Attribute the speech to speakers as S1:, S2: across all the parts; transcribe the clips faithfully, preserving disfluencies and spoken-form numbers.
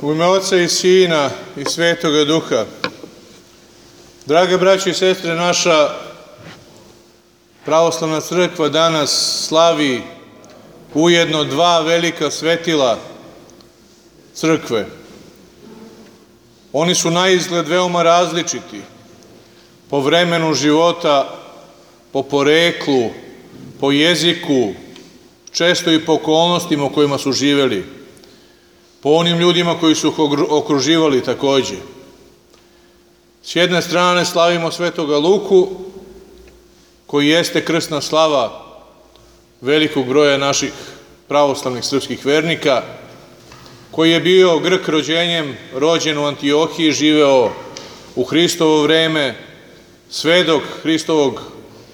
S1: U ime Oca i Sina i Svetoga Duha. Drage braće i sestre, naša pravoslavna crkva danas slavi ujedno dva velika svetila crkve. Oni su naizgled veoma različiti po vremenu života, po poreklu, po jeziku, često i po okolnostima u kojima su živeli, po onim ljudima koji su ih okruživali takođe. S jedne strane slavimo Svetoga Luku, koji jeste krsna slava velikog broja naših pravoslavnih srpskih vernika, koji je bio Grk rođenjem, rođen u Antiohiji, živeo u Hristovo vreme, svedok Hristovog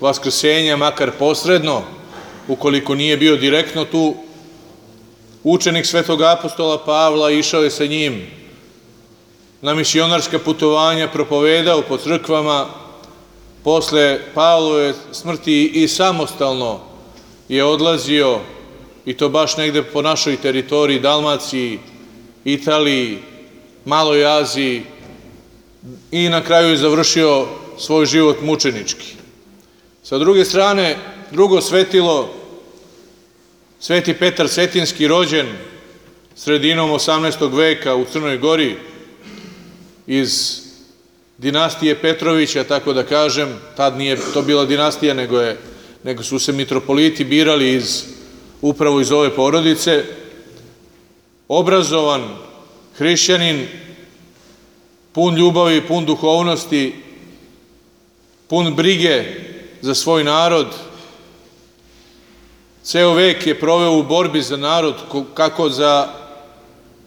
S1: vaskrsenja, makar posredno, ukoliko nije bio direktno tu. Učenik svetog apostola Pavla, išao je sa njim na misionarska putovanja, propovedao po crkvama. Posle Pavlove smrti i samostalno je odlazio, i to baš negde po našoj teritoriji, Dalmaciji, Italiji, Maloj Aziji, i na kraju je završio svoj život mučenički. Sa druge strane, drugo svetilo, Sveti Petar Cetinski, rođen sredinom osamnaestog veka u Crnoj Gori, iz dinastije Petrovića, tako da kažem. Tad nije to bila dinastija, nego, je, nego su se mitropoliti birali iz, upravo iz ove porodice. Obrazovan hrišćanin, pun ljubavi, pun duhovnosti, pun brige za svoj narod. Ceo vek je proveo u borbi za narod, kako za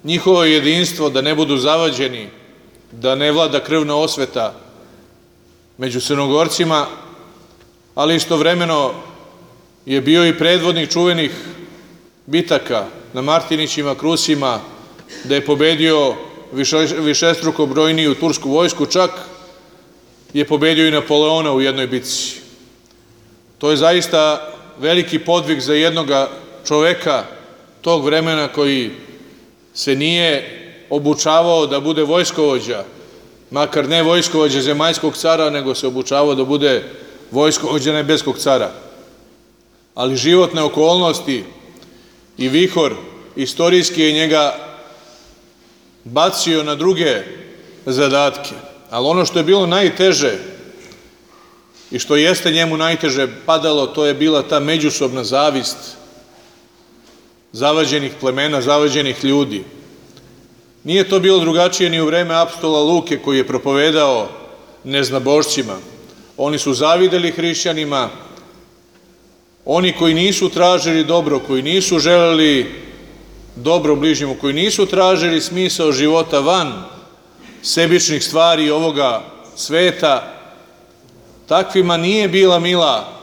S1: njihovo jedinstvo, da ne budu zavađeni, da ne vlada krvna osveta među Crnogorcima, ali istovremeno je bio i predvodnik čuvenih bitaka na Martinićima, Krusima, da je pobedio višestruko brojniju tursku vojsku, čak je pobedio i Napoleona u jednoj bitci. To je zaista veliki podvig za jednoga čoveka tog vremena, koji se nije obučavao da bude vojskovođa, makar ne vojskovođa zemaljskog cara, nego se obučavao da bude vojskovođa nebeskog cara. Ali životne okolnosti i vihor istorijski je njega bacio na druge zadatke. Ali ono što je bilo najteže i što jeste njemu najteže padalo, to je bila ta međusobna zavist zavađenih plemena, zavađenih ljudi. Nije to bilo drugačije ni u vreme apostola Luke, koji je propovedao neznabošcima. Oni su zavideli hrišćanima, oni koji nisu tražili dobro, koji nisu želeli dobro bližnjemu, koji nisu tražili smisao života van sebičnih stvari ovoga sveta. Takvima nije bila mila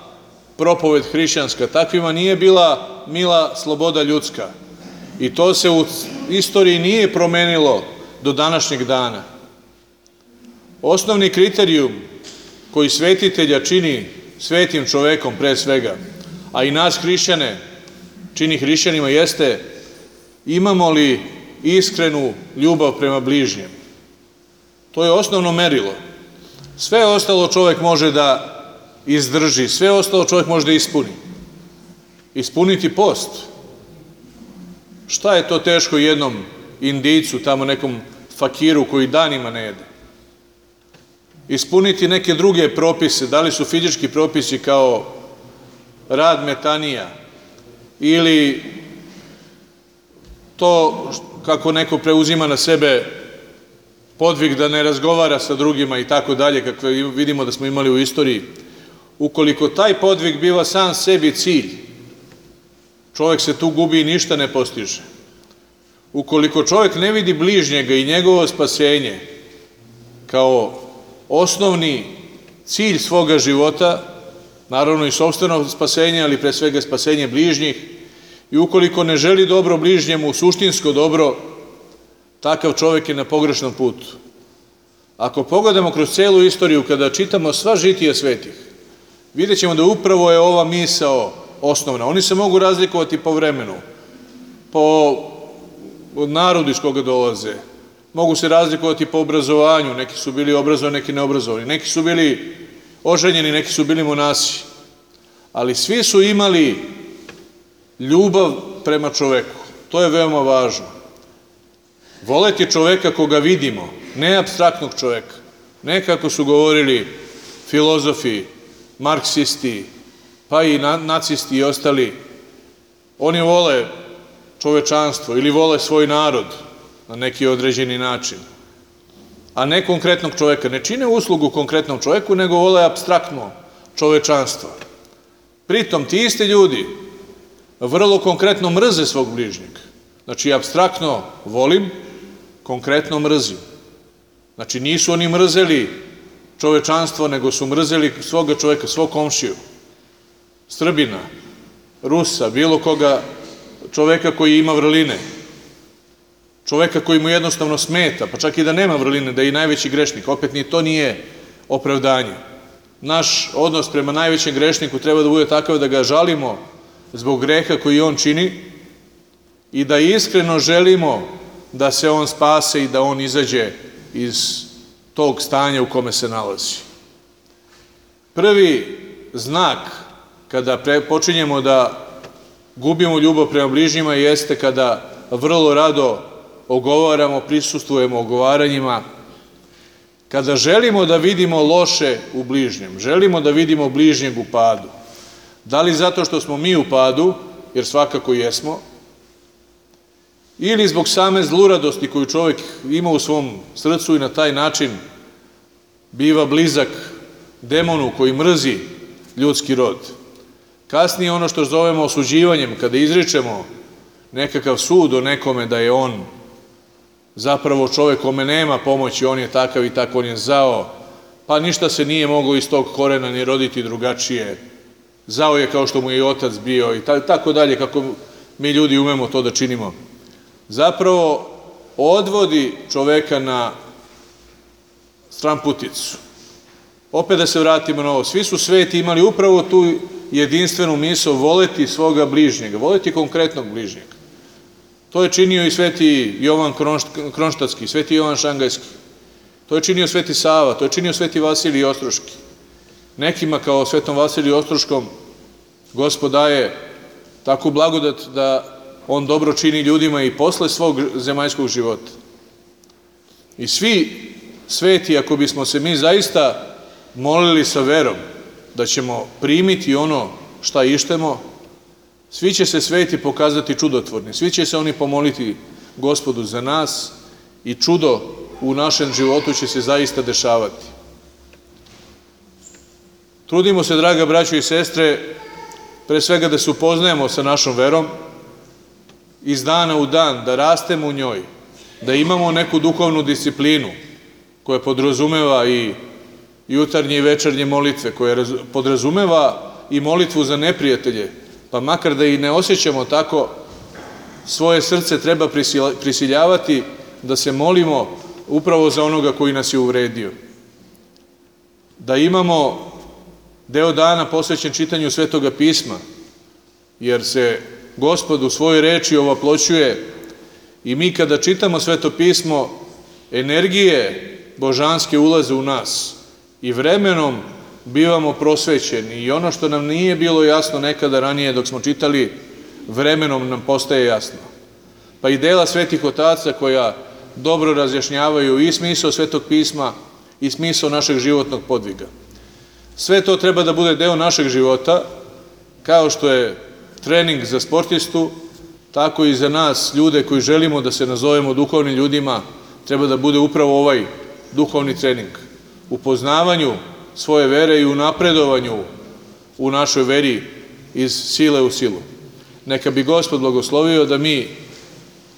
S1: propoved hrišćanska, takvima nije bila mila sloboda ljudska. I to se u istoriji nije promenilo do današnjeg dana. Osnovni kriterijum koji svetitelja čini svetim čovekom pre svega, a i nas hrišćane čini hrišćanima, jeste imamo li iskrenu ljubav prema bližnjem. To je osnovno merilo. Sve ostalo čovek može da izdrži, sve ostalo čovek može da ispuni. Ispuniti post. Šta je to teško jednom Indijcu, tamo nekom fakiru koji danima ne jede? Ispuniti neke druge propise, da li su fizički propisi kao rad metanija, ili to kako neko preuzima na sebe podvig da ne razgovara sa drugima i tako dalje, kakve vidimo da smo imali u istoriji. Ukoliko taj podvig biva sam sebi cilj, čovek se tu gubi i ništa ne postiže. Ukoliko čovek ne vidi bližnjega i njegovo spasenje kao osnovni cilj svoga života, naravno i sopstveno spasenje, ali pre svega spasenje bližnjih, i ukoliko ne želi dobro bližnjemu, suštinsko dobro, takav čovek je na pogrešnom putu. Ako pogledamo kroz celu istoriju, kada čitamo sva žitija svetih, vidjet ćemo da upravo je ova misao osnovna. Oni se mogu razlikovati po vremenu, po od narodu iz koga dolaze. Mogu se razlikovati po obrazovanju, neki su bili obrazovani, neki neobrazovani, neki su bili oženjeni, neki su bili monasi. Ali svi su imali ljubav prema čoveku. To je veoma važno. Voleti čoveka koga vidimo, ne apstraktnog čoveka. Ne kako su govorili filozofi, marksisti, pa i nacisti i ostali. Oni vole čovečanstvo ili vole svoj narod na neki određeni način, a ne konkretnog čoveka. Ne čine uslugu konkretnom čoveku, nego vole apstraktno čovečanstvo. Pritom, ti isti ljudi vrlo konkretno mrze svog bližnjeg. Znači, apstraktno volim, konkretno mrzim. Znači, nisu oni mrzeli čovečanstvo, nego su mrzeli svoga čoveka, svog komšiju, Srbina, Rusa, bilo koga čoveka koji ima vrline, čoveka koji mu jednostavno smeta, pa čak i da nema vrline, da je i najveći grešnik, opet ni to nije opravdanje. Naš odnos prema najvećem grešniku treba da bude takav da ga žalimo zbog greha koji on čini i da iskreno želimo da se on spase i da on izađe iz tog stanja u kome se nalazi. Prvi znak kada počinjemo da gubimo ljubav prema bližnjima jeste kada vrlo rado ogovaramo, prisustvujemo ogovaranjima, kada želimo da vidimo loše u bližnjem, želimo da vidimo bližnjeg u padu. Da li zato što smo mi u padu, jer svakako jesmo, ili zbog same zluradosti koju čovjek ima u svom srcu i na taj način biva blizak demonu koji mrzi ljudski rod. Kasnije ono što zovemo osuđivanjem, kada izričemo nekakav sud o nekome da je on zapravo čovjek kome nema pomoći, on je takav i tako, on je zao, pa ništa se nije moglo iz tog korena ni roditi drugačije, zao je kao što mu je i otac bio i tako dalje, kako mi ljudi umemo to da činimo. Zapravo odvodi čoveka na stranputicu. Opet da se vratimo na ovo, svi su sveti imali upravo tu jedinstvenu misao voleti svoga bližnjega, voleti konkretnog bližnjega. To je činio i sveti Jovan Kronštatski, sveti Jovan Šangajski, to je činio sveti Sava, to je činio sveti Vasilij Ostroški. Nekima kao svetom Vasiliju Ostroškom Gospod daje takvu blagodat da on dobro čini ljudima i posle svog zemaljskog života. I svi sveti, ako bismo se mi zaista molili sa verom da ćemo primiti ono šta ištemo, svi će se sveti pokazati čudotvorni, svi će se oni pomoliti Gospodu za nas i čudo u našem životu će se zaista dešavati. Trudimo se, draga braćo i sestre, pre svega da se upoznajemo sa našom verom, iz dana u dan, da rastemo u njoj, da imamo neku duhovnu disciplinu koja podrazumeva i jutarnje i večernje molitve, koja podrazumeva i molitvu za neprijatelje, pa makar da i ne osjećamo tako, svoje srce treba prisiljavati da se molimo upravo za onoga koji nas je uvredio. Da imamo deo dana posvećen čitanju Svetoga pisma, jer se Gospod u svojoj reči ovaploćuje i mi kada čitamo Sveto pismo, energije božanske ulaze u nas i vremenom bivamo prosvećeni i ono što nam nije bilo jasno nekada ranije dok smo čitali, vremenom nam postaje jasno. Pa i dela svetih otaca koja dobro razjašnjavaju i smisao Svetog pisma i smisao našeg životnog podviga. Sve to treba da bude deo našeg života, kao što je trening za sportistu, tako i za nas, ljude koji želimo da se nazovemo duhovnim ljudima, treba da bude upravo ovaj duhovni trening. U poznavanju svoje vere i u napredovanju u našoj veri iz sile u silu. Neka bi Gospod blagoslovio da mi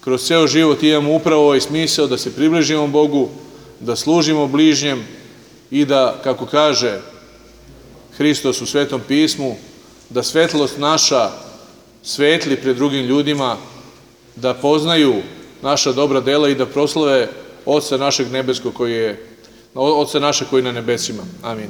S1: kroz ceo život imamo upravo ovaj smisao da se približimo Bogu, da služimo bližnjem i da, kako kaže Hristos u Svetom pismu, da svetlost naša svetli pred drugim ljudima, da poznaju naša dobra dela i da proslave Oca našeg nebeskog koji je, Oca našeg koji je na nebesima. Amin.